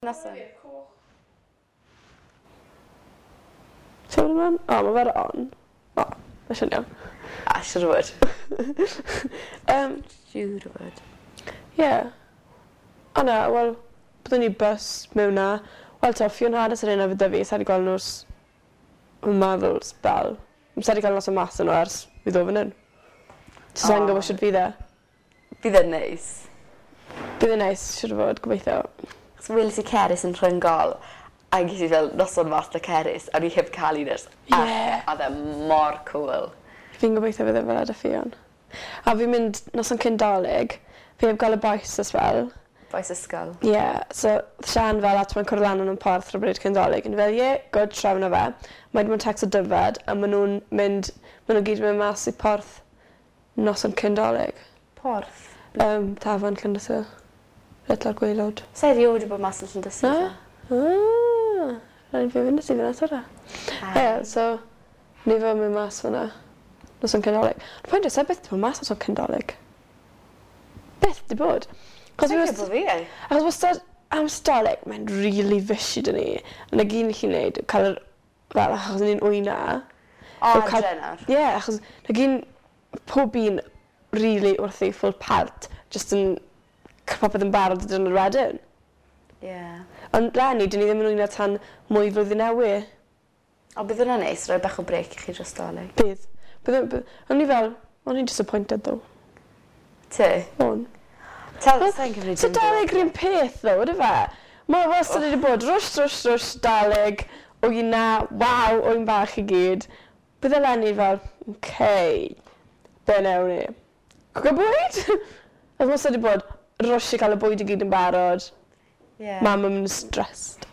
Noson. Ti'n mynd ymlaen? O, ma' fe ar on. O, ma' siŵr iawn. A, siŵr o fod. Siŵr o fod. Ie. O na, wel, byddwn ni bus mewn 'na. Wel t'o' Ffion Harris yr un efo 'da fi, sai 'di gweld nhw ers wi'n meddwl sbel. Sai 'di cael noson mas 'da nhw ers fi ddo' fan 'yn. So sai'n gwbo shwt fydd e. Bydd e'n neis. Bydd e'n neis siŵr o fod, gobeithio. 'Chos weles i Cerys yn Rhyngol a ges i fel noson mas 'da Cerys a o'n i heb ca'l un ers Ie. a odd e mor cŵl. Fi'n gobeithio bydd e fel 'a 'da Ffion. A fi'n mynd noson cyn 'Dolig. Fi heb gweld y bois ers sbel. Bois ysgol. Ie so Sian fel a t'mod cwrdd lan yn y porth rhywbryd cyn 'Dolig o'n i fel ie good trefna fe. Mae 'di bod yn tecsto Dyfed a ma' nw'n mynd ma' n'w gyd yn mynd mas i porth noson cyn 'Dolig. Porth? Tafarn Llandysul. Reit lawr gwaelod. Sai riod 'di bod mas yn Llandysul. Na? Ah! Rhaid fi fynd â ti fyna tro. Ie so ni fel myn' mas fan 'na. Noson cyn 'Dolig. Y pwynt yw sai byth 'di bod mas noson cyn 'Dolig. Byth 'di bod. 'Chos fi Sai'n wast- credu bo' fi. Achos wastad amser 'Dolig mae'n rili fishy 'da ni. A 'na gyd ni 'llu neud yw ca'l yr fel achos ni'n wyna. O yw ca'l... Adre nawr. Ie achos 'na gyn pob un rili wrthi full pelt jyst yn ca' popeth yn barod y diwrnod wedyn. Ie. Ond leni 'dyn ni ddim yn wyno tan mwy flwyddyn newy. O bydd wnna'n neis roi bach o brêc i chi dros 'Dolig. Bydd. Bydd e by- o'n i fel o'n i'n disappointed though. Ti? O'n. T'wel sai'n cymryd So dim byd. 'Dolig yr un peth ddo on'd yfe? Ma' wastad wedi bod rwsh rwsh rwsh 'Dolig wyna waw ŵyn bach i gyd. Bydd eleni fel oce be' newn ni? Cwco bwyd? Oedd wastad 'di bod rush i ca'l y bwyd i gyd yn barod. Ie. Mam yn myn' yn stressed.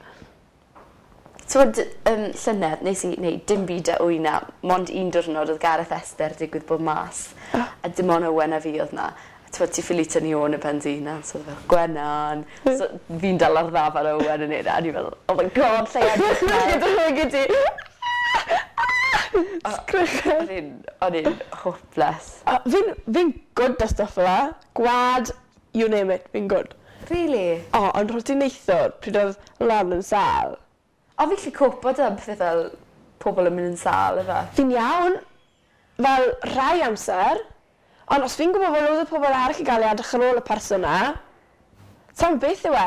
T'mod llynedd nes i neud dim byd 'da wyna mond un diwrnod odd Gareth Esther digwydd bod mas. O. A dim on' Owen a fi odd 'na. A t'mod ti ffili tynnu ôn y pen dy hunan so odd e fel Gwenan. So fi'n dal ar ddafad Owen yn neud e a o'n i fel oh my god 'llai edrych nawr. Dychmygu ti. Sgrechen. O'n i'n o'n i'n hopeless. A fi'n fi'n good 'da stwff fel 'a. Gwa'd you name it fi'n good. Rili? O ond roti neithiwr pryd odd Lan yn sâl. O fi 'llu copo 'da pethe fel pobol yn mynd yn sâl yfe? Fi'n iawn fel rhai amser ond os fi'n gwbo bo' loads o pobol eryll i ga'l i edrych ar ôl y person 'na sai'n gwbo beth yw e.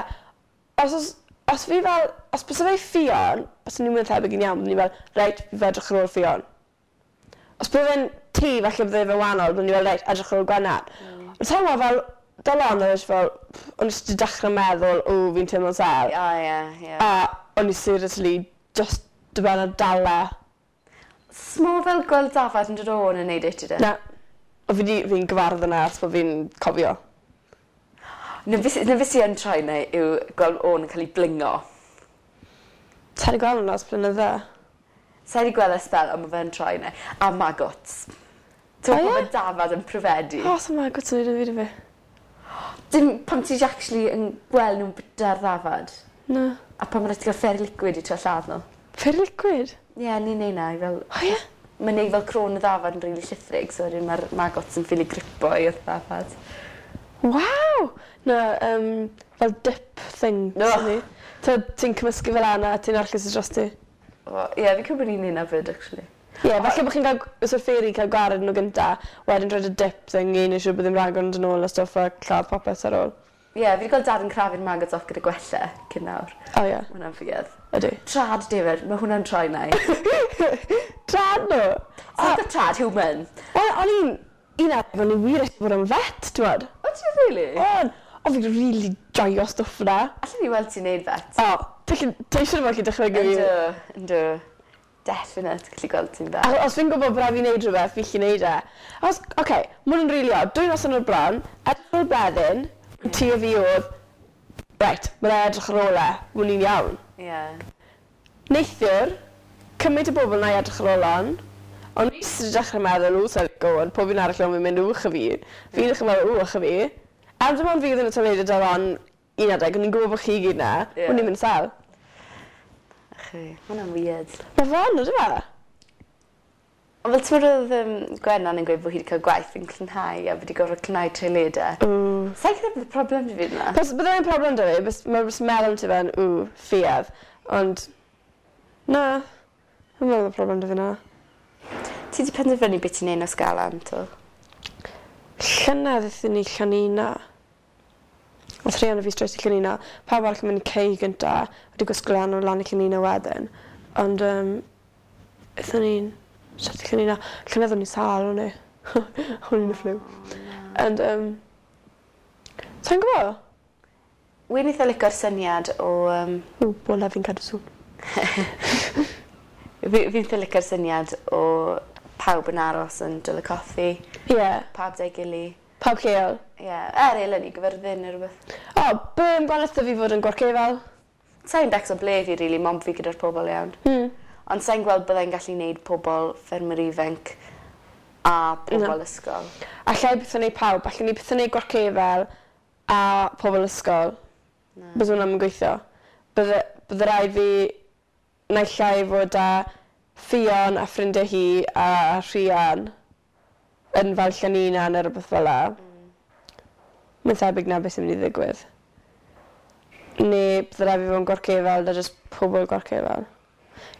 Os o's os fi fel os byse fe Ffion byswn i'n mwy na thebyg yn iawn byddwn i fel reit fi edrych ar ôl Ffion. Os bydde fe'n ti falle bydde fe wahanol byddwn i fel reit edrych ar ôl Gwennan. Ond sai'n gwbo fel 'da Lon oedd e jyst fel o'n i jyst 'di dechre meddwl o fi'n teimlo'n sâl. O ie ie. A o'n i seriously just 'di ben a dala. Smo fel gweld dafad yn dod o'n yn neud e ti de? Na. O fi 'di fi'n gyfarwydd â 'na ers bo' fi'n cofio. 'Na be' sy 'na be' sy yn troi 'na yw gweld ôn yn ca'l 'i blingo. Sai 'di gweld wnna ers blynydde. Sai 'di gweld e ers sbel on' ma' fe'n troi 'na. A magots. T'mo' O ie? pan ma' dafad yn pryfedu. O sa magots yn neud dim byd i fi. Dim pan ti actually yn gweld nw'n bita'r ddafad. Na. A pan ma' raid ti ga'l fairy liquid i trio lladd n'w. Fairy liquid? Ie ni'n neu' 'na i fel... O ie? Ma'n neu' fel cro'n y ddafad yn rili llithrig so wedyn ma'r magots yn ffili gripo i'r ddafad. Waw! Na yym fel dip thing Ugh. 'da ni. T'od ti'n cymysgu fe lan a ti'n arllwys e drosti. O ie fi'n credu bo' ni'n neud 'na 'fyd actually. Ie falle bo' chi'n ga'l g- so'r fairy ca'l gwared n'w gynta wedyn rhoid y dip thing i neu' siŵr bo' ddim ragor yn do' nôl a stwff a lladd popeth ar ôl. Ie fi 'di gweld dad yn crafu'r maggots off gyda gwella cyn nawr. O ie. Ma' wnna'n weird. Ydi. Trad David ma' hwnna'n troi 'nai. Trad n'w! O! Not the trad human. Wel o'n i'n un adeg o'n i wir isie bod yn vet t'mod? O' ti rili? O'n! O fi'n rili joio stwff 'na. Allen i weld ti'n neud vet. O ti 'llu ti siŵr o fod gallu dychmygu fi. Yndw yndw. Definite gallu gweld ti'n vet. Acho- os fi'n gwbo bo' rai' fi neud rhwbeth fi 'llu neud e. Achos oce ma' wnna'n rili od dwy noson o'r blan edrych ar ôl Bleddyn ti a fi odd reit ma' rai' edrych ar ôl e ma' wn'n iawn. Ie. Neithiwr cymaint o bobol 'na i edrych ar ôl on o'n i jyst 'di dechre meddwl w sai'n lico 'wn pob un arall yn mynd uwch a fi. Fi'n dechre meddwl ww ych a fi. A dim ond fi odd yn y toiled 'da Ron un adeg o'n i'n gwbo bo' chi gyd 'na. Ie. O'n i'n mynd sâl. Ych a fi. Ma' wnna'n weird. Ma' fe yn on'd yfe? Ond fel ti'n meddwl oedd Gwennan yn gweud bod hi wedi cael gwaith yn clynhau a wedi gorfod clynhau toiledau. Ww. Sa'n credu bod problem 'da fi 'na. Bys, bydde fe'n problem 'da fi, bys, mae jyst meddwl ti fe'n, ww, ffiedd. Ond, na, ddim meddwl bod problem 'da fi na. Ti 'di penderfynu beth ti'n neud nos Galan, to? Llynedd aethon ni Llanina. O'dd rhieni fi straight i Llanina. Pawb arall yn mynd i Cei gynta, wedi gwisgo lan o lan i Llanina wedyn. Ond yym aethon ni'n straight i Llanina. Llynedd o'n i'n sâl o'n i. O'n i'n y ffliw. Ond yym sai'n gwbo. Wi'n eitha lico'r syniad o yym... Ww, bola fi'n cadw sŵn. Fi fi'n eitha lico'r syniad o pawb yn aros yn Dolaucothi. Ie. Pawb 'da'i gily. Pawb lleol. Ie, er eleni Gyfyrddin neu rwbeth. O, be' amdano fi fod yn Gwarcefel? Sai'n becso ble fi rili, mond fi gyda'r pobol iawn. Ond sai'n gweld byddai'n gallu neud pobol ffermwyr ifanc a pobol ysgol. Alla i byth yn neud pawb, allen ni byth yn neud Gwarcefel a pobol ysgol. Na. Bys hwnna 'im yn gweithio. Bydde bydde raid fi naill ai fod â Ffion a ffrindiau hi a Rhian yn fel Llanina neu rywbeth fel 'a. Mae'n thebyg 'na beth sy'n mynd i ddigwydd. Neu bydde raid fi fod yn Gwarcefel 'da jyst pobol Gwarcefel.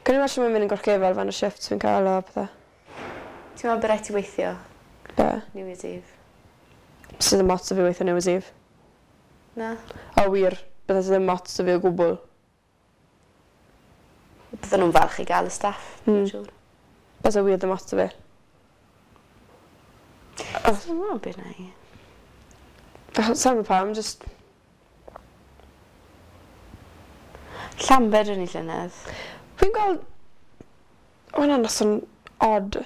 Cawn ni weld shwt mae'n mynd yn Gwarcefel fan y shifts fi'n cael a pethe. Ti'n meddwl bod rhaid ti weithio? Be? New Year's Eve? Sydd ddim ots 'da fi weithio New Year's Eve. Na? O wir, bydde ddim ots 'da fi o gwbl. Bydden nhw'n falch i gael y staff, mm. Siŵr. Byse wir ddim ots 'da fi. Sa'n gwybod beth na i. Sa'n gwybod pam, just... Llambed o'n i llynedd. Fi'n gweld... O, hwnna'n noson odd.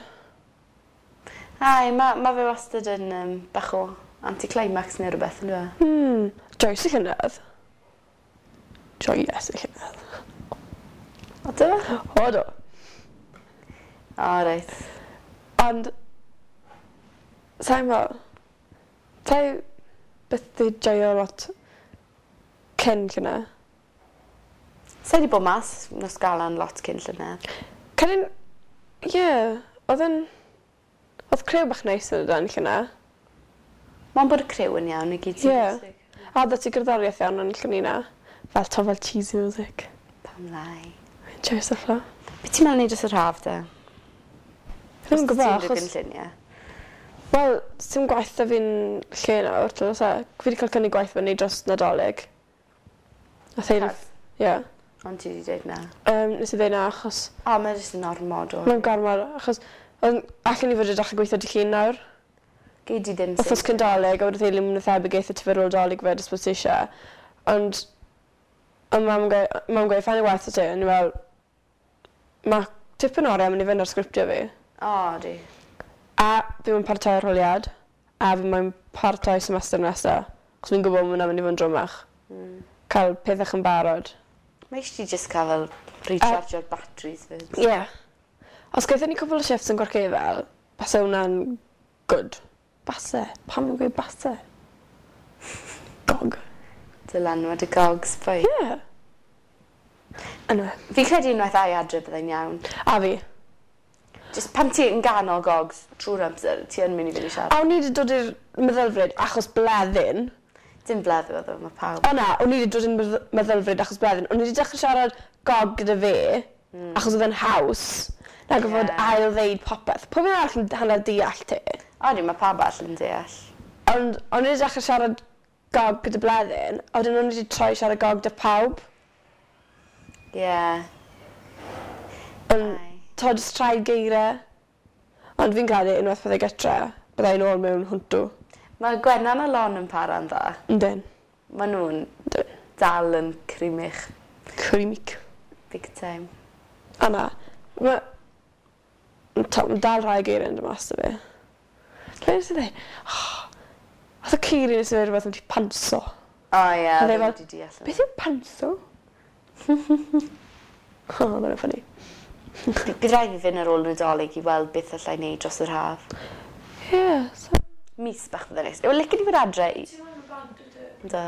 Ai, mae ma fe wastad yn bach o anticlimax neu rhywbeth, yn dweud? Joyce y llynedd. Joyous y llynedd. O, do? O, do. O, reit. Ond... Sa'n gwybod. Sai byth 'di joio lot cyn llynedd. Sai 'di bod mas nos Galan lot cyn llynedd. Cyn... Ie, oedd yn... Oedd criw bach neis yn y dan llynedd. Mae'n bod y criw yn iawn i gyd sy'n Ie. bwysig. A oedd ti gerddoriaeth iawn yn Llanina. Fel to fel cheesy music. Pam lai. Fi'n joio stuff fel 'na. Be ti'n meddwl neud dros yr haf de? Fi ddim yn gwybod Os achos... ti'n gynlluniau? Wel, sim gwaith 'da fi'n lle nawr, t'od oes e? Fi 'di cael cynnig gwaith fyny dros Nadolig. A theulu... Have? Ie. Ond ti wedi dweud na. Nes i ddeud na achos... O, mae jyst yn ormod o... Mae'n gormod achos... Ond allen i fod yn dechrau gweithio dy llun nawr. Gei di ddim Wythnos cyn Dolig, a wedyn theulu mwyn thebyg eitha ti fer ôl Dolig fyd os bod ti eisiau. Ond... Ond mam yn gweud, mam yn gweud, ffain i waith o ti, o'n i fel... Mae tipyn o oriau mynd i fynd ar sgriptio fi. O, di. A fi moyn paratoi arholiad, a fi moyn paratoi semester nesa, achos fi'n gwybod ma' hwnna'n mynd i fod yn drwmach. Cael pethau yn barod. Mae eisiau ti just cael fel rechargeo'r batteries fyd. Ie. Yeah. Os gaethon ni cwpl o shifts yn Gwarcefel, base hwnna'n good. Base? Pam fi'n gweud base? Gog. Dylanwad y gogs, boi. Ie. Yeah. Anyway, Fi'n credu unwaith ai adre byddai'n iawn. a fi. Just pan ti yn ganol gogs trwy'r amser, ti yn mynd i fynd i siarad. A o'n i wedi dod i'r meddylfryd achos bleddyn. Dim bleddu oedd o, mae pawb. O na, o'n i wedi dod i'r meddylfryd achos bleddyn. O'n i wedi dechrau siarad gog gyda fe, achos oedd e'n haws, na gorfod Ie. ail ddeud popeth. Pob un arall yn hanner deall ti. O, di, mae pawb arall yn deall. Ond o'n i wedi dechrau siarad gog gyda bleddyn, a wedyn o'n i wedi troi siarad gog gyda pawb. Ie. Yeah. Ond, to, jyst rhai geiriau. Ond fi'n credu unwaith byddai gytre, byddai nôl mewn hwntw. Mae Gwennan a Lon yn para'n dda. Yndyn. Maen nhw'n Yndyn. dal yn crimych Crimic. big time. A na, mae... To, ma' dal rhai geiriau yn dod mas 'da fi. Be nes i ddweud? Oh, Oedd y Ceri nes i ddweud rhywbeth am ti panso. O ie, Oedd e ddim fel, wedi deall Beth yw panso? O, oh, mae'n ffynnu. Bydd rhaid fi fynd ar ôl Nadolig i weld beth allai wneud dros yr haf. Ie, so... Mis bach fydde neis. Wel, licen i fod adre i... Do.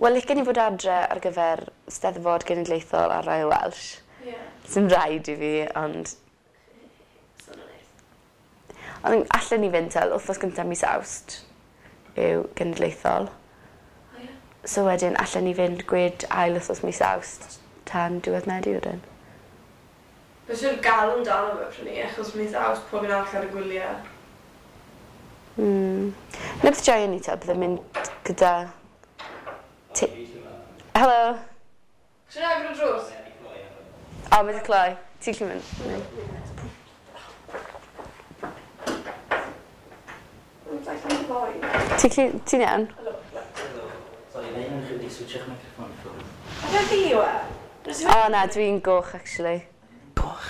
Wel, licen i fod adre ar gyfer Steddfod Genedlaethol a Royal Welsh. Ie. Sy'n rhaid i fi, ond Ond allan ni fynd tel wythnos gyntaf mis Awst yw genedlaethol. O ie. So wedyn allan ni fynd gwed ail wythnos mis Awst tan diwedd Medi wedyn. Fe siwr galw amdano fe pryd ni, achos mis Awst pob un arall ar y gwyliau. Na beth joio ni te, bydde'n mynd gyda... Helo! Siwr agor y drws? O, mae 'di cloi. Ti'n gallu mynd? Ti'n gallu... Ti'n iawn? Sorry, neu yn chi wedi switcho'ch microffon i ffwrdd. A fe fi yw e? O na, dwi'n goch, actually. Goch?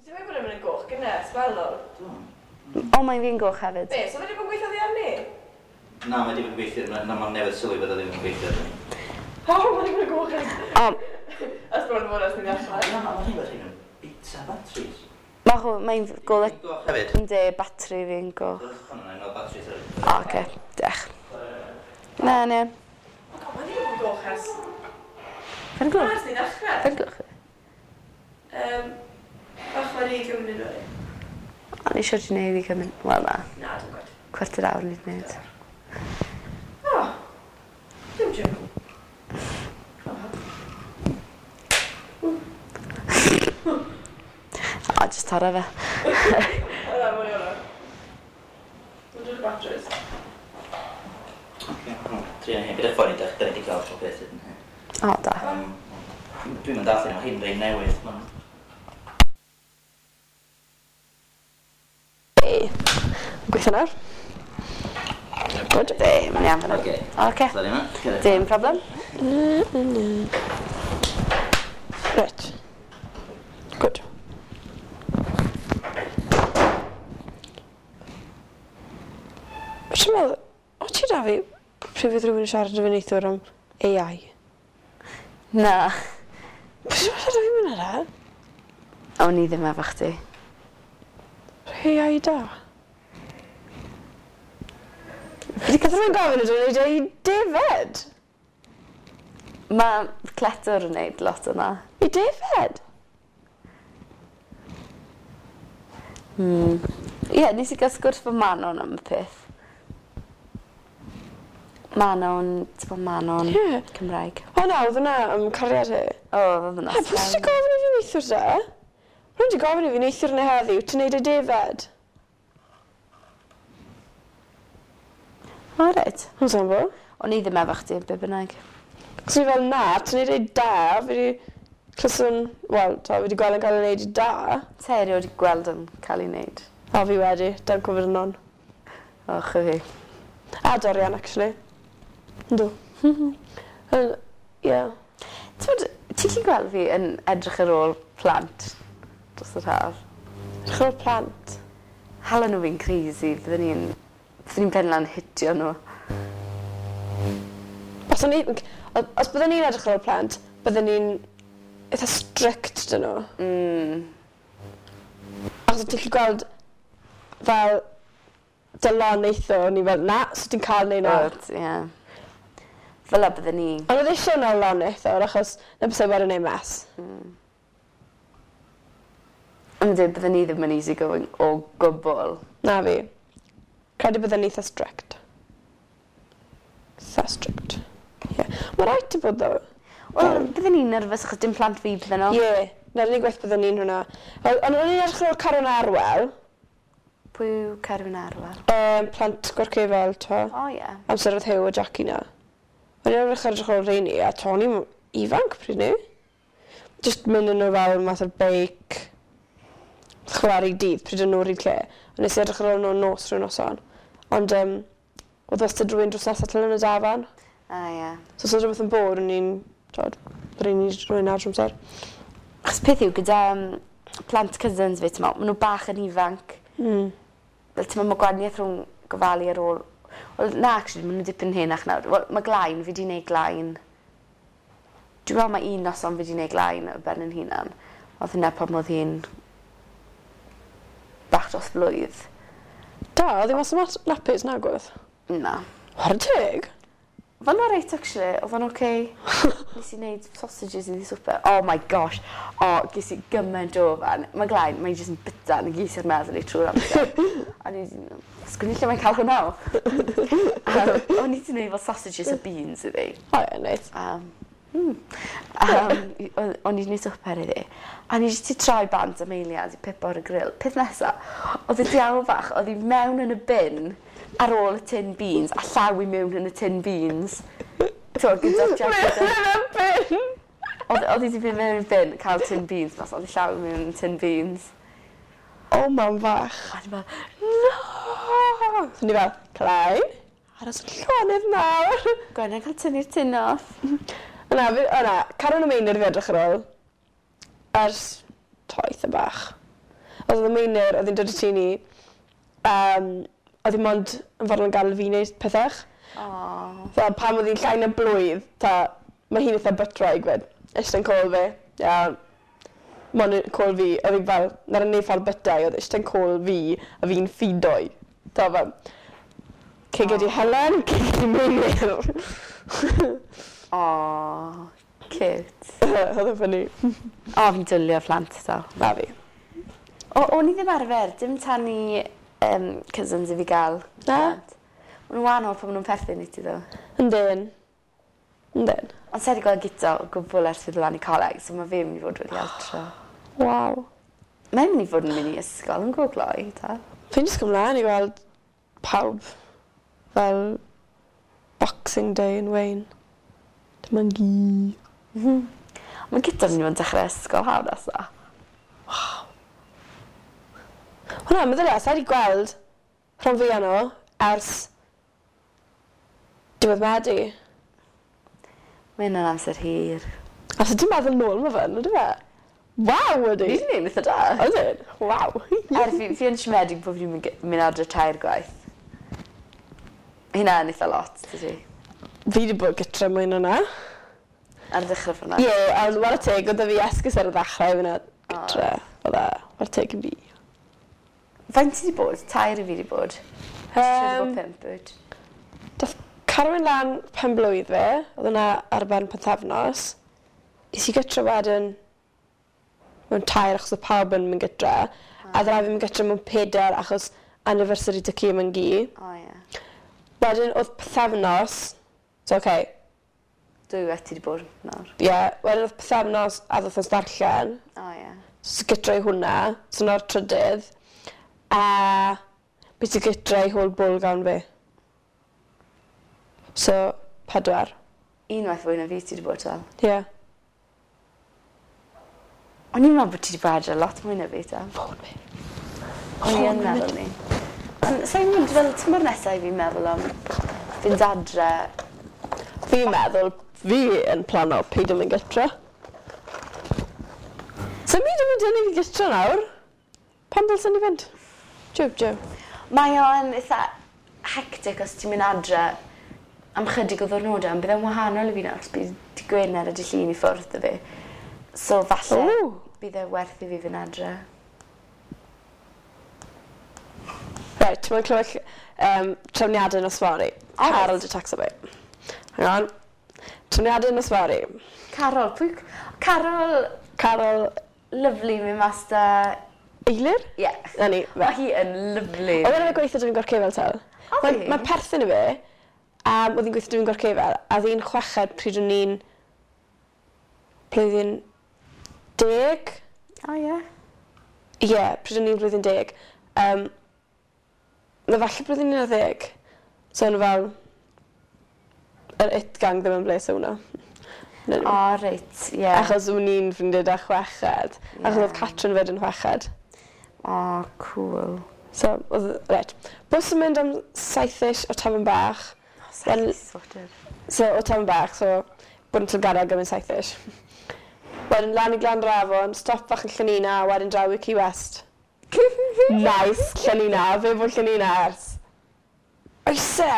Ti'n meddwl bod e'n mynd yn goch gynnes, fel ôl? O, mae'n fi'n goch hefyd. Be, so fe wedi bod yn gweithio ddi arni? Na, mae wedi bod yn gweithio, na, mae'n newydd sylwi bod o ddim yn gweithio arni. O, mae wedi bod yn goch yn... O, Ys bod yn fod ers ni ddechrau. Na, mae hi'n bod hi'n bita batteries. mae hwn, mae'n golau... Goch hefyd. Yndi, batri fi'n goch. Hwna'n un o'r batteries ar. O, oce, diolch. Na, na. O, god, mae wedi bod yn goch ers... Fe'n Na, gloch? ers ni ddechrau. Fe'n gloch? Bach wedi gymryd nhw. O'n i eisiau di wneud i gymryd... Wel, na. Na, dwi'n gwybod. Cwarter awr ni wedi wneud. O, dim joke. O, jyst torra fe. O, na, mwyn i hwnna. Dwi'n dod y batteries. Oce, Trio hyn. Gyda ffordd i da ni wedi cael pob peth hyn. O, da. Dwi'n mynd allan o hyn rei newydd. Ma'n Ei, gweithio nawr. Good. Be, mae'n iawn fan'na. Oce. Oce. Sorry ma. Dim problem. Right. Good. Ti'n meddwl, o ti da fi, pryd fydd rhywun yn siarad â fi neithiwr am AI? Na. Pryd ti'n siarad â fi mynd yna? O'n i ddim efo chdi. AI da. Fi wedi cael rhywun gofyn ydw i'n neud i defed. Mae Cletwr yn neud lot yna. I defed? Ie, yeah, nes i gael sgwrs fy Manon am y peth. Manon, ti'n bod Manon Ie. Cymraeg. O na, oedd hwnna am cariad hi. O, oedd hwnna. He, pwy sydd wedi gofyn i fi neithiwr de? Rwy'n wedi gofyn i fi neithiwr neu heddiw, ti'n neud y defed? O, reit. Yn sambo. O'n i ddim efo chdi, be bynnag. Cos fi fel na, ti'n neud ei da, fi wedi clyswn, wel, to, fi wedi gweld yn cael ei wneud i da. Te erioed wedi gweld yn cael ei wneud. O, fi wedi, dan cofyd yn on. O, chyfi. A Dorian, actually. Yndw. Ie. Ti'n bod, ti'n gallu gweld fi yn edrych ar ôl plant dros yr haf? Edrych ar ôl plant. Hala nhw fi'n crazy, byddwn ni'n pen lan hitio nhw. Os, o'n i, os byddwn ni'n edrych ar ôl plant, byddwn ni'n eitha strict dyn nhw. Achos ti'n gallu gweld fel Dylan neitho, o'n i fel, na, so ti'n cael neud na. But, ie. Fel la byddwn ni. Ond oedd eisiau na lon neitho, achos na bysau wedi neud mess. Ond dweud, byddwn ni ddim yn easy going o gwbl. Na fi. Credu byddwn ni eitha strict. Eitha strict. Ie. Yeah. Mae rhaid i bod ddo. Wel, byddwn ni'n nerfus achos dim plant fi bydden nhw. Ie. Yeah. Na'r unig gwaith byddwn ni'n hwnna. Ond o'n i'n edrych ar ôl Carwyn Arwel, Pwy yw Carwyn Arwel? plant Gwarcefel, to. O, ie. Amser oedd Huw a Jackie na. O'n i'n edrych ar ôl rheini, a to o'n i'n ifanc pryd ni. Just mynd yn nhw fel math o beic, chwarae dydd pryd o'n nhw ryd lle. Ond nes i edrych ar ôl nhw nos rhyw noson. Ond oedd wastad rhywun drws nesaf tan yn y dafarn. A, ie. So os oedd rhywbeth yn bod, o'n i'n, tod, rhaid ni rhywun ar drwy amser. Achos peth yw, gyda plant cousins fi, ti'n meddwl, maen nhw bach yn ifanc. Fel, ti'n meddwl, mae gwahaniaeth rhwng gofalu ar ôl... Wel, na, actually, maen nhw dipyn henach nawr. Wel, mae glain, fi di wneud glain. Dwi'n meddwl mae un noson fi di wneud glain o ben yn hunan. Oedd hynna pan oedd hi'n bach dros blwydd. Da, oedd hi mas o nappies na gwedd. Na. Chwarae teg. Fo'n alright actually, oedd o'n okay. Nes i wneud sausages iddi swper. Oh my gosh. O, oh, ges i gymaint o fan. Mae Glain, mae'n jyst yn byta yn y gys i'r meddwl i trwy'r amser. A ni wedi, sgwn i lle mae'n cael hwnna o. O'n i wedi gwneud fel sausages a beans iddi. O ie, neis. O'n i wedi gwneud swper iddi. A ni jyst 'di troi bant am eiliad i pipo ar y grill. Peth nesa, oedd y diawl fach, oedd hi mewn yn y bin ar ôl y tin beans, a llaw i mewn yn y tin beans. T'wod, gyda'r jacket. Mewn y bin! Oedd hi wedi mynd mewn i'r bin, cael tin beans mas, oedd hi llaw i mewn yn tin beans. O, mam fach. A o'n i fel, no! So ni fel, Clai, aros yn llonydd nawr. Gwenna cael tynnu'r tin off. Na, fi, o na, Caron y Meinir fi edrych ar ôl. Ers toeth y bach. Oedd y Meinir, oedd hi'n dod i tŷ ni, oedd hi mond yn fodlon gadael fi wneud pethau. Oh. Fel pan oedd hi'n llai na blwydd, ta, mae hi'n eitha bytraig fyd. Eistedd yn côl fi, iawn. Mond yn côl fi, oedd hi fel, na'r unig ffordd bytai, oedd eistedd yn côl fi, a fi'n ffidoi. Ta fel, ceged i Helen, ceged i Meinir. Oh, cute. Oedd yn ffynnu. O, fi'n dwylio phlant, do. Na fi. O, o'n i ddim arfer, dim tan i cousins i fi gael. Na? plant. Maen nhw'n wahanol pan maen nhw'n perthyn i ti, ddo. Yndyn. Yndyn. Ond sa i wedi gweld Guto o gwbl ers fi ddod lan i coleg, so mae fe mynd i fod wedi altro. Waw. Mae'n mynd i fod yn mynd i ysgol yn go gloi, ta. Fi'n just ymlaen i gweld pawb fel Boxing Day yn Wayne. Dim ond gi. Mae Guto mynd i fod yn dechrau ysgol haf nesa. Hwna, meddylia, sa i wedi gweld rhan fwyaf nhw ers diwedd Medi. Mae hynna'n amser hir. A so ti'n meddwl nôl mae fe'n, ydy fe? Waw, ydy! Fi wedi gwneud eitha da. Ydyn? Waw. Er, fi yn siomedig bod fi'n mynd adre tair gwaith. Hynna yn eitha lot, dydy. Fi wedi bod gytre mwy na na. Ar y dechrau ffordd Ie, ond whare teg, oedd fi esgus ar y ddechrau i fynd gytre. Oedd e, whare teg i fi. Faint ti wedi bod? Tair i fi wedi bod. Ti wedi bod 5, wyt? Dath Carwyn lan pen blwydd fe, oedd hwnna ar ben pythefnos. Is i gytre wedyn mewn 3 achos oedd pawb yn mynd gytre. A dda fi mynd gytre mewn 4 achos anniversary dy ci yn gi. O ie. Wedyn oedd pythefnos, so okay, Dwy waith ti wedi bod nawr. ie, yeah, wedyn oedd pythefnos a ddoth os darllen. O ie. So gytre i hwnna, so na'r trydydd. A beth i gytre i hôl bwl gawn fi. So, 4. Unwaith fwy na fi ti wedi bod tal. Ie. Yeah. O'n i'n meddwl bod ti wedi bod adre lot mwy na fi tal. Ffôn fi. O'n i yn meddwl ni. Ond sa'n mynd fel tymor nesaf i fi'n meddwl am fynd adre. Fi'n meddwl, fi yn plano peidio mynd gytre. So mi ddim yn dynnu fi gytre nawr. Pam ddylsen ni fynd? Jiw, jiw. Mae o'n eitha hectic os ti'n mynd adre am chydig o ddwrnodau, ond bydd e'n wahanol i fi nawr, achos bydd dy Gwener a dy Llun i ffwrdd o fi. So falle Ww. bydd e werth i fi fynd adre. Right, ti'n mwyn clywed trefniadau nos fory. O, reit. Carol di tacso fi. Hang on. Trefniadau nos fory. Carol, pwy... Carol, Carol lyflu, mynd mas da... Eilir? Ie. Na ni, fe. Mae hi yn lyflu. Oedd e'n gweithio dwi'n gorcefel tal. Oedd Mae'n hi? ma perthyn i fi, oedd hi'n gweithio dwi'n gorcefel, a oedd hi'n chweched pryd o'n i'n blwyddyn 10. O ie. Ie, yeah, pryd o'n i'n blwyddyn 10. Na falle blwyddyn 11. So o'n fel, yr it gang ddim yn bles o hwnna. Na, O, reit, ie. Achos o'n i'n ffrindiau da chweched. Achos Ie. oedd Catrin fyd yn chweched. O, cool. So, oedd, reit. Bws yn mynd am 7-ish o Tafan Bach. O, saith sorted. So, o Tafan Bach, so, bod yn Tilgarreg am 7-ish. Wedyn lan i Glanrafon, stop fach yn Llanina, a wedyn draw i Key West. Nice, Llanina, fe fod Llanina ers. Oes e?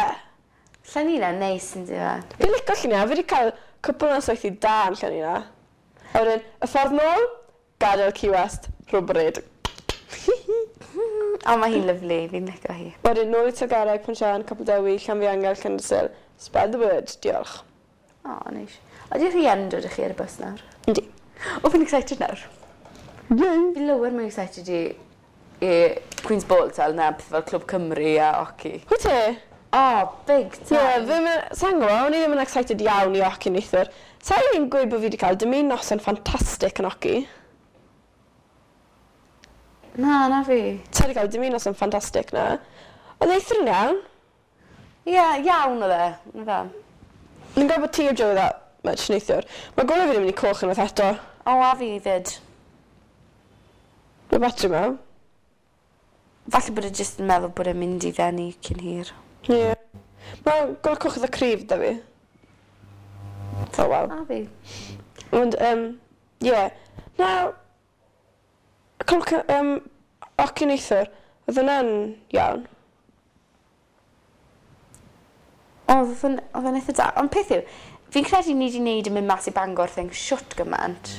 Llanina, neis yn dweud. Fi'n licio Llanina, fi wedi cael cwpl o nosweithiau da yn Llanina. A wedyn, y ffordd nôl, gadael Key West, rhywbryd. O, mae hi'n lyflu, fi'n licio hi. Wedyn, nôl i Tilgarreg, Pontsian, Capel Dewi, Llanfiangel, Llandysul, Spread the word, diolch. O, oh, neis. Ydy rhieni yn dod â chi ar y bus nawr? Yndi. O, fi'n excited nawr. Yay! Fi'n lower mwy excited i Queen's Ball tal na peth fel Clwb Cymru a hockey. Wyt ti? O, big Ie, time. yeah, ddim yn... Sa'n gwybod, o'n i ddim yn excited iawn i hockey neithiwr. Sa'n i'n gweud bod fi wedi cael dim un noson ffantastig yn hockey. Na, na fi. Sa wedi cael dim un noson ffantastig na. Oedd neithiwr yn iawn. Ie, yeah, iawn oedd e. Na fe. Ni'n gwybod bod ti o Joe that much neithiwr. Mae golau fi ddim yn mynd i coch unwaith eto. O, a fi fyd. Mae batri mewn. Falle bod e jyst yn meddwl bod e'n mynd i ddenu cyn hir. Ie. Yeah. Mae golau coch eitha cryf da fi. Oh well. A fi. Ond, ie. Yeah. Now, cloc, hockey neithiwr, oedd hwnna'n iawn. Oedd o'n oedd o'n eitha da. Ond peth yw, fi'n credu ni wedi wneud yn mynd mas i Bangor thing shwt gymaint.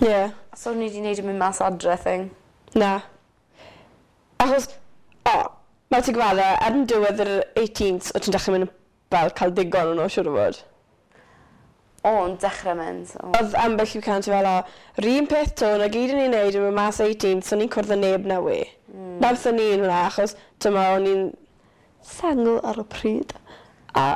Ie. Yeah. So ni wedi wneud yn mynd mas adre thing. Na. Achos, o, mae ti'n gweld e, ar yn diwedd yr 18th, o ti'n dechrau mynd fel cael digon o'n nhw, siŵr o fod. O, yn dechrau mynd. O. Oedd ambell i can ti fel, o, yr un peth to, na gyd o'n i'n neud yn mynd mas 18th, so ni'n cwrdd â neb na we. Na beth o'n i'n hwnna, achos, dyma, o'n i'n sengl ar y pryd. A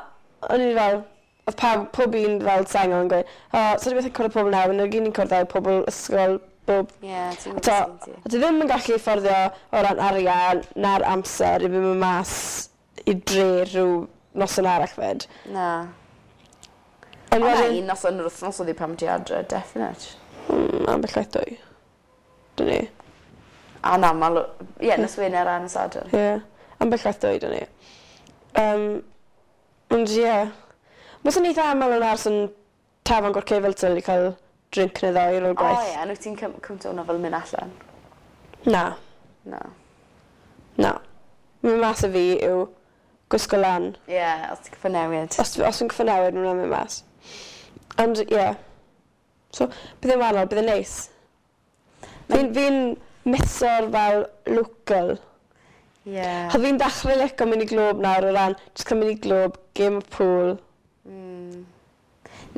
o'n i'n fel, oedd pawb, pob un fel sengl yn gweud, o, so di beth yn cwrdd â pobl nawr, na gyd ni'n cwrdd â pobl ysgol, bob Ie, ti'n A to, gwybod ti. a ti ddim yn gallu fforddio o ran arian na'r amser i fynd mas i dre rhyw noson arall fyd. Na. Ond Ond na, wedyn, un noson yr wythnos oedd hi pan ti adre, definite. Ambell waith dwy. Dyn ni. A na, mal... Ie, nos Wener a nos Sadwrn. Ie. Ambell waith dwy, dyn ni. Ond ie. Yeah. Mae sy'n eitha aml yn aros yn tafarn Gorcefel fel tyl i cael drink neu ddoi ar ôl O gwaith. ie, ond wyt ti'n cwmto hwnna fel mynd allan? Na. Na. Na. Mynd mas y fi yw gwisgo lan. Ie, os ti'n cyffo newid. Os fi'n cyffo newid, mae'n mynd mas. Ond, ie. Yeah. So, bydd e'n wahanol, bydd e'n neis. Fi'n miso'r fel local. Ie. Chos fi'n dechrau licio mynd i glwb nawr o ran, jyst cael mynd i glwb, game of pool.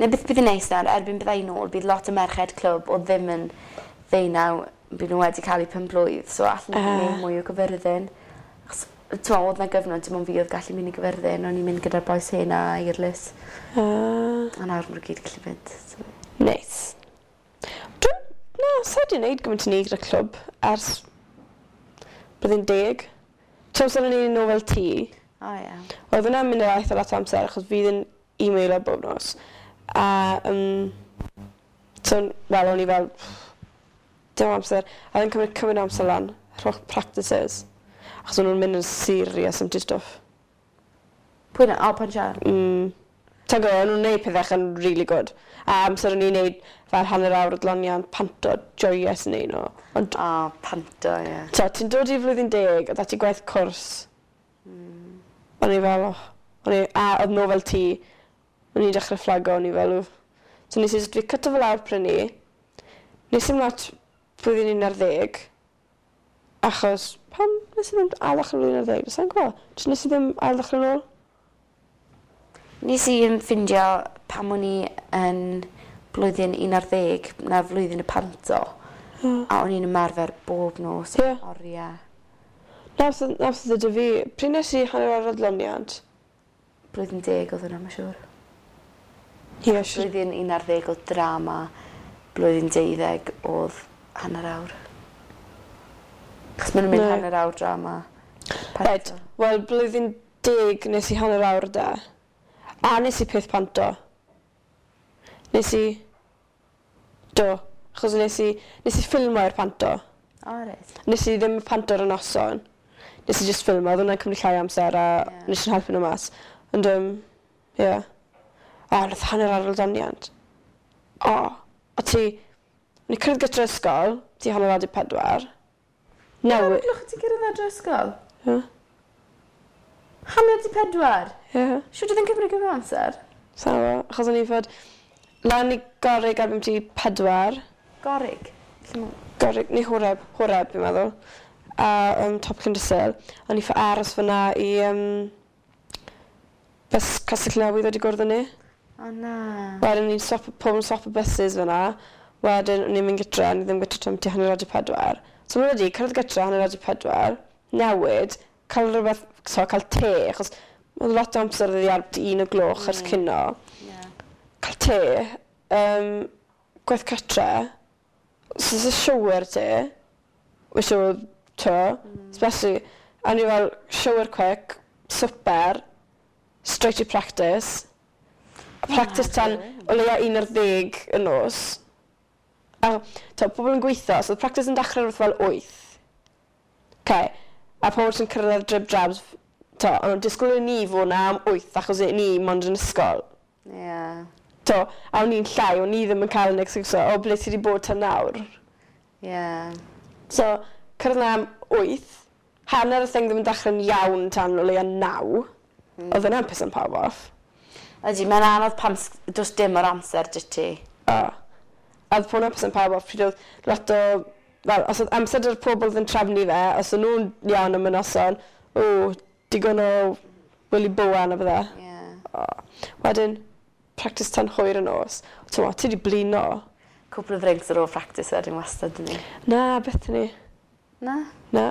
Neu beth bydd yn neis nawr, erbyn bydda i nôl, bydd lot o merched clwb o ddim yn ddeunaw, bydd nhw wedi cael eu penblwydd, so allan nhw uh. mwy o gyfyrddin. Achos, ti'n meddwl, oedd na gyfnod, dim ond fi oedd gallu mynd i gyfyrddin, o'n i'n mynd gyda'r bois hen a Eirlys, a nawr maen nhw gyd gallu mynd. So. Neis. Dwi'n... Na, sa i 'di wneud gymaint o ni gyda clwb ers blwyddyn 10. Ti'n amser o'n i'n nofel tŷ, O ie. oedd hwnna'n mynd i eitha lot o amser achos fi ddim e-mailo bob nos. A, so, wel, o'n i fel, dim amser. A oedd yn cymryd cymaint o amser lan, yr holl practices. Achos o'n nhw'n mynd yn serious am stuff. Pwy na? O, pan siarad. Ti'n gwybod, o'n nhw'n neud pethau yn really good. A amser o'n i'n neud fel hanner awr o dloniant, panto, joyous yn neud nhw. Ond, O, panto, ie. to, ti'n dod i flwyddyn 10, a ti gwaith cwrs. O'n i fel, oh. O'n i, a oedd nofel ti, o'n i'n dechrau fflago, o'n i fel, wff. So nes i jyst fi cyto fel awr prynu. Nes i'm lot blwyddyn 11, achos pam nes i ddim ail ddechrau blwyddyn 11, sa'n gwybod. Jyst nes i ddim ail ddechrau nôl. Nes i yn ffindio pam o'n i yn blwyddyn 11, na flwyddyn y panto, a o'n i'n ymarfer bob nos, Ie. oriau. Na beth oedd 'da fi, pryd nes i hanner awr adloniant? Blwyddyn 10 oedd hwnna, mae'n siŵr. Ie, siŵr. Blwyddyn 11 oedd drama, blwyddyn 12 oedd hanner awr. Chos maen nhw'n mynd Ne. hanner awr drama. Right, wel, blwyddyn 10 nes i hanner awr da. A nes i peth panto. Nes i... Do. Achos nes i ffilmo i'r panto. O, reit. Nes i ddim panto ar y noson. Nes i just ffilmo, oedd hwnna'n cymryd llai o amser a Ie. nes i'n helpu nhw mas. Ond, ie. Yeah. O, nath hanner ar ôl doniant. O, a ti... O'n i cyrraedd gyda'r ysgol, ti 3:30. Newi... Glwch ti'n cyrraedd adre ysgol? Ie. 3:30? Ie. Siwr oedd yn cymryd gymaint o amser? So, achos o'n i fod lan i Gorig erbyn ti 4. Gorig. Lle ma- Gorig, neu Horeb, Horeb fi'n meddwl. A top Llandysul. O'n i ffo aros fyna i Bus Castell Newydd wedi gwrdd â ni. O na. Wedyn ni'n stop, pobl yn stop y buses fyna. Wedyn o'n i'n mynd gytre, o'n i ddim gytre tan tua 3:30. So mae'n wedi cyrraedd gytre 3:30, newid, cael rhywbeth, so cael te, achos oedd lot o amser oedd ar 1 o'r gloch ers cino. Cael te, gwaith cytre, so it's a shower te, which oedd, to, especially, a ni fel shower quick, swper, straight to practice. A practice tan o leia 11 y nos. A to, pobl yn gweithio, so oedd practice yn dechrau wrth fel 8. Okay. A pobl sy'n cyrraedd drib drabs, to, ond nhw'n disgwyl i ni fod na am 8 achos i ni mond yn ysgol. To, a o'n i'n llai, o'n i ddim yn cael yn excuse, o ble ti wedi bod tan nawr. So, cyrraedd na am 8, hanner y thing ddim yn dechrau'n iawn tan o leia 9. Oedd yna'n pissan pawb off. Ydy, mae'n anodd pam does dim o'r amser dy ti. O. A oedd hwnna'n pissan pawb off pryd oedd lot o... Wel, os oedd amser dy'r pobl oedd yn trefnu fe, os o'n nhw'n iawn am y noson, o, digon o Willy Bowen a bydde. O. Wedyn, practice tan hwyr y nos. Ti'n mo, ti wedi blino. Cwpl o ddrinks ar ôl practice wedyn wastad yn ni. Na, beth ni. Na? Na.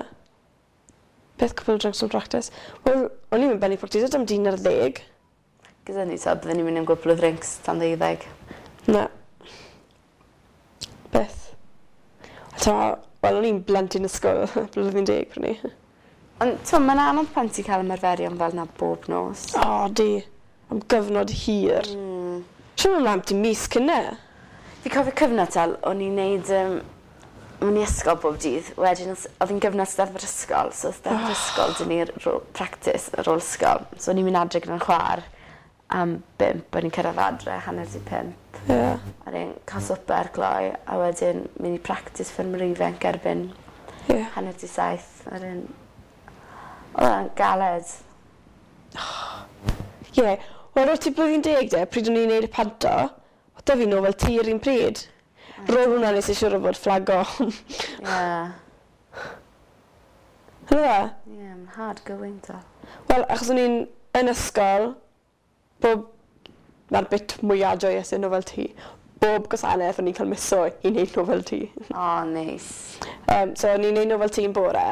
Beth cwpl o drinks o'n practice? Wel, o'n i'n mynd ben i practice am 11. Gyda ni, so byddwn ni'n mynd am gwpl o ddrinks tan 12. Na. Beth. Ta, wel, o'n i'n blentyn ysgol blwyddyn 10 pryd ni. Ond, ti'n mae'n anodd pan ti'n cael ymarferion fel na bob nos. O, di. Am gyfnod hir. Siwr mae'n am ti mis cynne. Fi cofio cyfnod tal, o'n i'n neud, o'n i ysgol bob dydd. Wedyn, oedd hi'n gyfnod steddfod ysgol, so steddfod ysgol, dyn ni'r practice ar ôl ysgol. So o'n i'n mynd adre gyda'n chwaer am 5, o'n i'n cyrraedd adre 4:30. A wedyn cael swper gloi, a wedyn mynd i practice ffermwyr ifanc erbyn 6:30. Wedyn, oedd o'n galed. Ie. Yeah. Wel, roedd ti blwyddyn 10 de, pryd o'n i'n neud y panto, oedd da fi nofel ti yr un pryd. Roedd hwnna nes i siŵr o fod flago. Hynny fe? Ie, mae'n hard going to. Wel, achos o'n i'n yn ysgol, bob... Mae'r bit mwyaf joyous yn nofel ti. Bob gwasanaeth o'n i'n cael miso i wneud nofel ti. O, oh, neis. So o'n i'n neud nofel ti'n bore.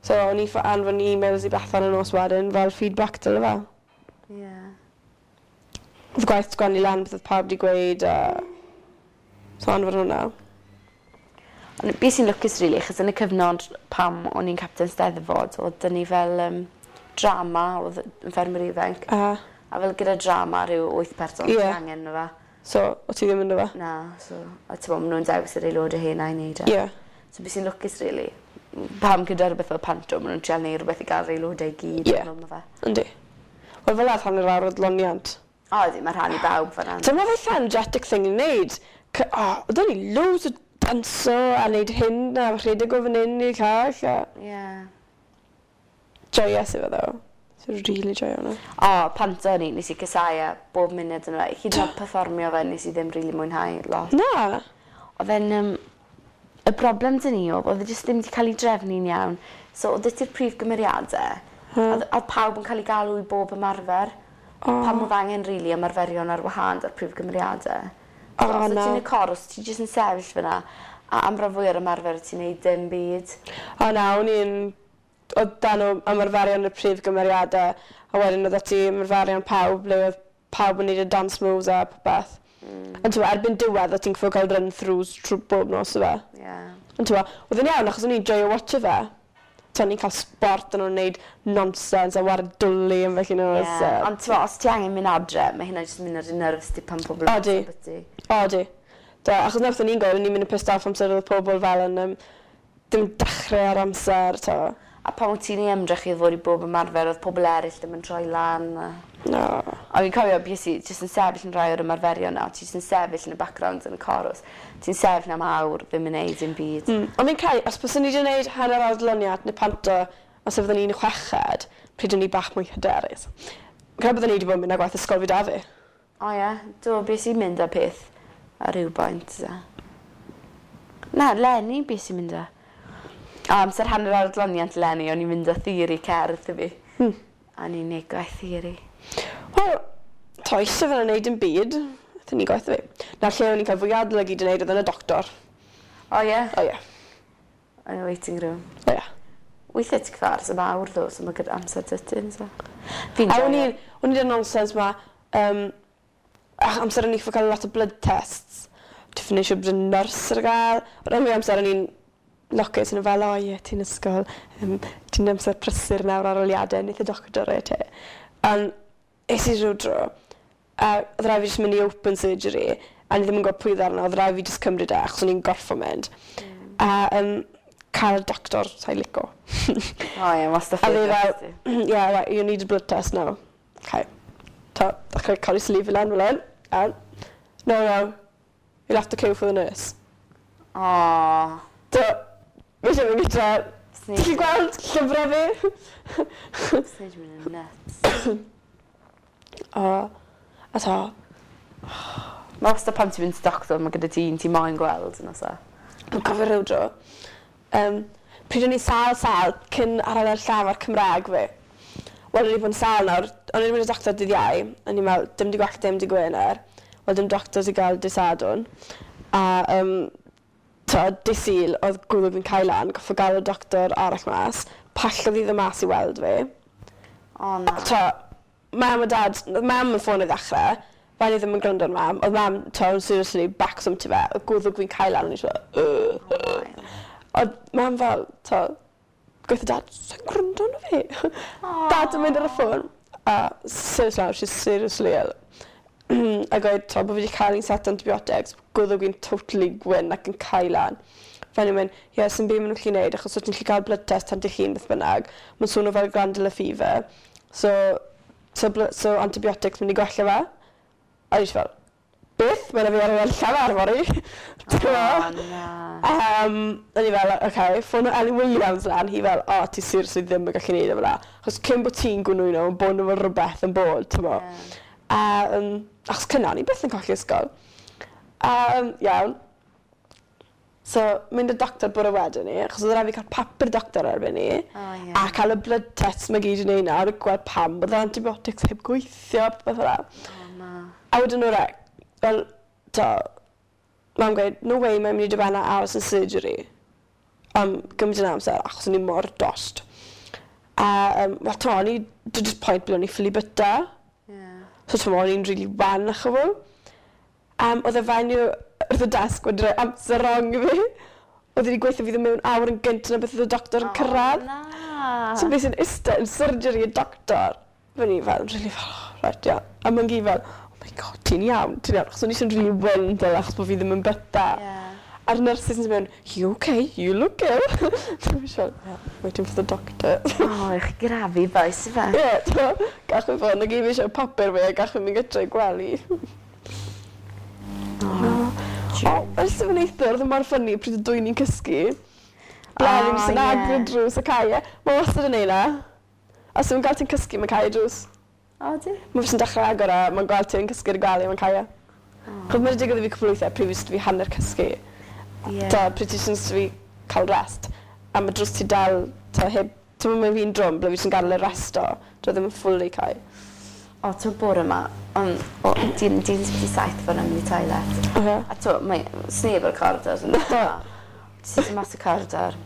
So o'n i'n anfon e-mails i Bethan y nos wedyn fel feedback dyle fe. Oedd gwaith sgwennu lan beth oedd pawb wedi gweud a... So anfon hwnna. Ond beth sy'n lwcus really, achos yn y cyfnod pam o'n i'n captain Steddfod, oedd dyn ni fel drama, oedd yn ffermwyr ifanc. A fel gyda drama rhyw wyth person sy'n angen nhw fe. So, o ti ddim yn fe? Na, so, a ti'n bod, maen nhw'n dewis yr aelodau hyn i wneud e. So beth sy'n lwcus really, pam gyda rhywbeth fel panto, maen nhw'n trial neud rhywbeth i gael yr aelodau i gyd. Ie. Yeah. Fe. Yndi. Wel, fel oedd hanner awr o adloniant. O, ydy, mae rhan i bawb fan'na. Dyma fe eitha energetic thing i wneud. O, oedd ni loads o danso a wneud hyn a rhedeg o fan hyn i'r llall. A... Joyous i fe ddo. So really joio hwnna. O, panto ni, nes i casau e bob munud yn fe. Hyd yn oed perfformio fe, nes i ddim really mwynhau lot. Na. Oedd e'n... y broblem dyn ni oedd, oedd e jyst ddim wedi cael ei drefnu'n iawn. So, oedd ti'r prif gymeriadau, a oedd pawb yn cael ei galw i bob ymarfer. O. Pam oedd angen really ymarferion ar wahân o'r prif gymeriadau. O, So, os na. ti'n y corws, ti jyst yn sefyll fyna, a am rhan fwy o'r ymarfer ti'n neud dim byd. O na, o'n i'n... Oedd dan nhw ymarferion y prif gymeriadau, a wedyn oedd ti ymarferion pawb, ble oedd pawb yn neud y dance moves a popeth. Ond ti'n erbyn diwedd, oedd ti'n cyfo cael run-throughs trwy bob nos o fe. Ond ti'n oedd yn iawn achos o'n i'n joio watcho fe. Ti'n o'n i'n cael sport yn o'n neud nonsense a ware dwli yn felly nhw. Yeah. Ond ti'n os ti angen mynd adre, mae hynna jyst yn mynd ar dy nerves di pan pobl yn Odi. ysbyty. O, di. Da, achos na beth o'n i'n gweud, o'n i'n mynd yn pissed off amser oedd pobl fel yn ddim dechrau ar amser, to. A pan wyt ti'n ei ymdrech i ddod i bob ymarfer, oedd pobl eraill ddim yn troi lan. A... No. A fi'n cofio, bues i jyst yn sefyll yn rhai o'r ymarferion na, ti jyst yn sefyll yn y background yn y corws. Ti'n sefyll am awr, ddim yn neud dim byd. Ond fi'n credu, os byswn ni wedi gwneud hanner adloniad neu panto, os fydden ni'n chweched, pryd o'n i bach mwy hyderus. Fi'n credu byddwn ni wedi bod yn mynd â gwaith ysgol fi da fi. O ie, do, bues i'n mynd â peth ar ryw bwynt. A... Na, Lenny bues i'n mynd â. A amser hanner adloniant Lenny, o'n i'n mynd â theori cerdd i fi. A o'n i'n neud gwaith theori. Wel, to, eisiau fel yn neud yn byd. Aethon ni gwaith fi. Na lle o'n i'n cael fwy adolygu i wneud oedd yn y doctor. O ie? O ie. Yn y waiting room. O ie. Weithiau ti'n cyfar am awr ddo, so mae gyda amser dydyn, so. Fi'n A o'n joio. i'n, o'n i'n nonsens ma, amser o'n i'n cael lot o blood tests. Ti'n ffeindio siŵr bod y nyrs ar gael. Ond am amser o'n i'n lwcus yn fel, o ie, ti'n ysgol, ti'n amser prysur nawr ar oliadau, wneith y doctor e te. Ond es i rhyw dro, a oedd rhaid fi jyst mynd i open surgery, a ni ddim yn gwybod pwy oedd arno, oedd rhaid fi jyst cymryd e, achos o'n i'n gorffo mynd. A cael doctor, sa'i lico. O ie, wastad A fe favourite fel, ti. yeah, right, you need a blood test now. Okay. Ta, dechrau cael ei sleeve lan fel hyn. And, no, no, you'll have to queue for the nurse. O. So, fi eisiau mynd gyda, ti'n gallu gweld llyfrau fi? Snid mynd yn nuts. O, a to, Mae wastad pan ti'n mynd i doctor, mae gyda ti un ti moyn gweld yn oes e. Dwi'n cofio rhyw dro. Pryd o'n i sal sal cyn arholiad llafar Cymraeg fi. Wel, o'n i wedi bod yn sal nawr, o'n i wedi mynd i doctor dydd Iau, o'n i'n meddwl, dim di gwell dim di Gwener. Wel, dim doctor i gael dydd Sadwrn. A, to, dydd Sul, oedd gwddw fi'n cael lan, goffo gael y doctor arall mas, pallodd i ddim mas i weld fi. O na. To, mam a dad, oedd mam yn ffôn i ddechrau, fel i ddim yn gwrando ar mam, oedd mam, to, seriously, back some ti fe, oedd gwddw fi'n cael lan, o'n i jyst fel, "Ugh." Oedd mam fel, to, gweithio dad, sa'n gwrando arno fi. Dad yn mynd ar y ffôn, a seriously, now, she's seriously ill. A gweud, to, bod fi wedi cael un set o antibiotics, gwddw fi'n totally gwyn ac yn cael lan. Fel ni'n mynd, ie, sy'n byd maen nhw'n gallu neud, achos os ti'n gallu cael blood test tan dy hun beth bynnag, mae'n swnio fel glandular fever. So antibiotics mynd i gwella fe. A o'n i jyst fel, beth? Mae'n fi ar y llafar fory. Ti'n O gwbod? na. O'n i fel, oce, okay, ffôn o Ellie Williams lan, hi fel, o, ti seriously ddim yn gallu neud e fel 'na. Achos cyn bod ti'n gwnwyno, mae'n bod nhw fel rhywbeth yn bod, ti'n bo. Ie. A, achos cynna, o'n i byth yn colli ysgol. A, iawn. So, mynd i'r doctor bore wedyn ni, achos oedd rhaid fi cael papur doctor erbyn ni, O ie. a cael y blood tests mae gyd yn ei nawr, a gweld pam bod yr antibiotics heb gweithio, popeth fel 'na. O na. A wedyn nhw reit, wel, to, mam gweud, no way mae'n mynd i dod a aros yn surgery am gymaint yn amser, achos o'n i mor dost. A, wel, to, o'n i, dod i'r pwynt ble o'n i ffili byta. Ie. So, to, o'n i'n rili wan ach o fo. Oedd y fenyw wrth y desg wedi rhoi amser wrong i fi. Oedd wedi gweithio fi ddim mewn awr yn gynt na beth oedd y doctor yn cyrraedd. O na. So beth sy'n iste yn surgery y doctor. Fe ni fel, really fel, oh, right, yeah. A mae'n gi fel, oh my god, ti'n iawn, ti'n iawn. Achos o'n i eisiau'n really wyn fel, achos bod fi ddim yn byta. Ie. A'r nurses yn mynd, you okay, you look ill. Dwi'n fel, yeah, waiting for the doctor. O, eich grafu boys, i fe. Ie, yeah, gach fi fod, na gyd fi eisiau papur fi a gach fi mynd gytre i gwely. O, ers yn neithwr, oedd e mor ffynnu pryd y dwy ni'n cysgu. Bleddyn O, jyst yn agor y ie. drws a cau e. Mae wastad yn neud na. Os yw'n gael ti'n cysgu, mae'n cau y drws. O, di? Mae jyst yn dechrau agor e, mae'n gweld ti'n cysgu ar y gwely, mae'n cau e. Chos mae'n digwydd i fi cwpl o weithiau, pryd fi hanner cysgu. Ie. Ta, pryd ti jyst fi cael rest. A mae drws ti dal, ta heb, ti'n mynd fi'n drwm, ble fi jyst yn gadael y resto. Dwi ddim yn fully cau. O, ti'n bore yma, ond, o, di'n 7 fan mynd i toilet. Okay. A t'wo, mae sneb ar y corridor yn dda. Jyst yn mas y corridor.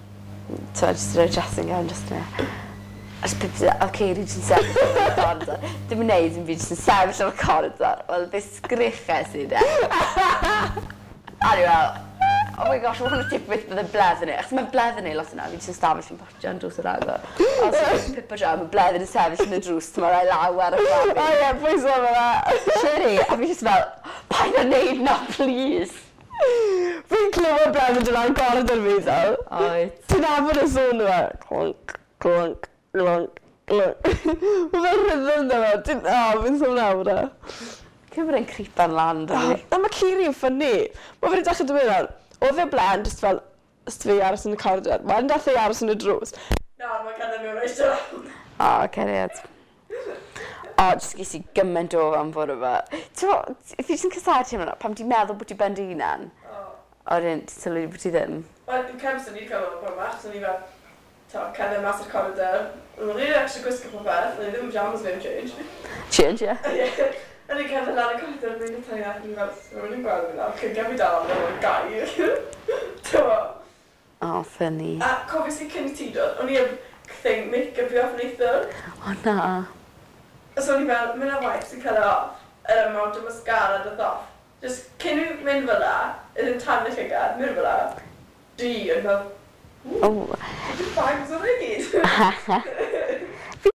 T'wo, jyst rhoi dressing gown just yna. A jyst pip, a Ceiri jyst yn sefyll ar y corridor. Dim yn neud yn byd, jyst yn sefyll ar y corridor. Wel, fe sgriches i de. A ni fel, oh my gosh, mae hwn yn tipyn bydde bledd yn ei. Achos mae bledd yn ei lot yna, fi jyst yn stafell yn potio yn drws yr agor. A so fi'n pipo draw, mae bledd yn sefyll yn y drws, ti'n rhoi law ar y O ffafin. ie, pwyso fe fe. Siri, a fi jyst fel, paid â neud na, please. Fi'n clywed bledd yn dod lan corridor fi, fel. Oed. Ti'n nabod y sŵn yma? Clonc, clonc, clonc, clonc. Mae fe'n rhythm da fe. Ti'n... O, fi'n sôn awr e. Cymru'n creepan lan, Oh, dwi. a mae Ciri yn ffynnu. Mae fe'n dechrau dweud fel, oedd e blaen, just fel, ys fi aros yn y corridor. Wedyn dath e aros yn y drws. Na, mae'n cerdded mewn oes O, cariad. O, jyst ges i gymaint o fan fod yma. Ti'n bo, fi jyst yn casau ti'n mynd, pam ti'n meddwl bod ti ben dy hunan? O, wedyn, ti'n sylwi bod ti ddim. Wel, yn cemson ni wedi cael o'n bach, so ni fel... to, cerdded mas i'r corridor. O'n i'n actually gwisgo popeth, o'n i ddim yn pyjamas fi am change. Change, ie. O'n i'n cerdded lan y corridor, mynd i tynnu allan, fel, so rwy'n gweld fi nawr, cyn fi dal am o'r gair. T'mo? Oh, funny. A cofio si cyn i ti dod, o'n i heb thing make-up fi off neithiwr. O na. So o'n i fel, mynd ar wipes i cael e off, yr amount o mascara doth off. Just cyn i fi mynd fel la, yn yn tan y llygad, mynd fel la, di, o'n fel, Oh. just bags o'n i gyd.